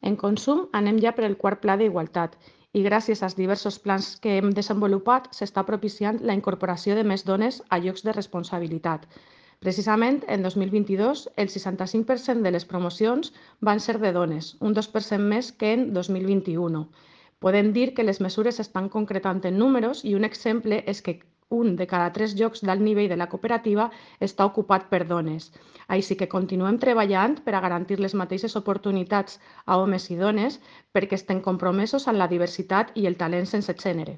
En Consum anem ja per el quart pla d'igualtat i gràcies als diversos plans que hem desenvolupat s'està propiciant la incorporació de més dones a llocs de responsabilitat. Precisament, en 2022, el 65% de les promocions van ser de dones, un 2% més que en 2021. Podem dir que les mesures s'estan concretant en números i un exemple és que un de cada 3 llocs d'alt nivell de la cooperativa està ocupat per dones. Així que continuem treballant per a garantir les mateixes oportunitats a homes i dones perquè estem compromesos amb la diversitat i el talent sense gènere.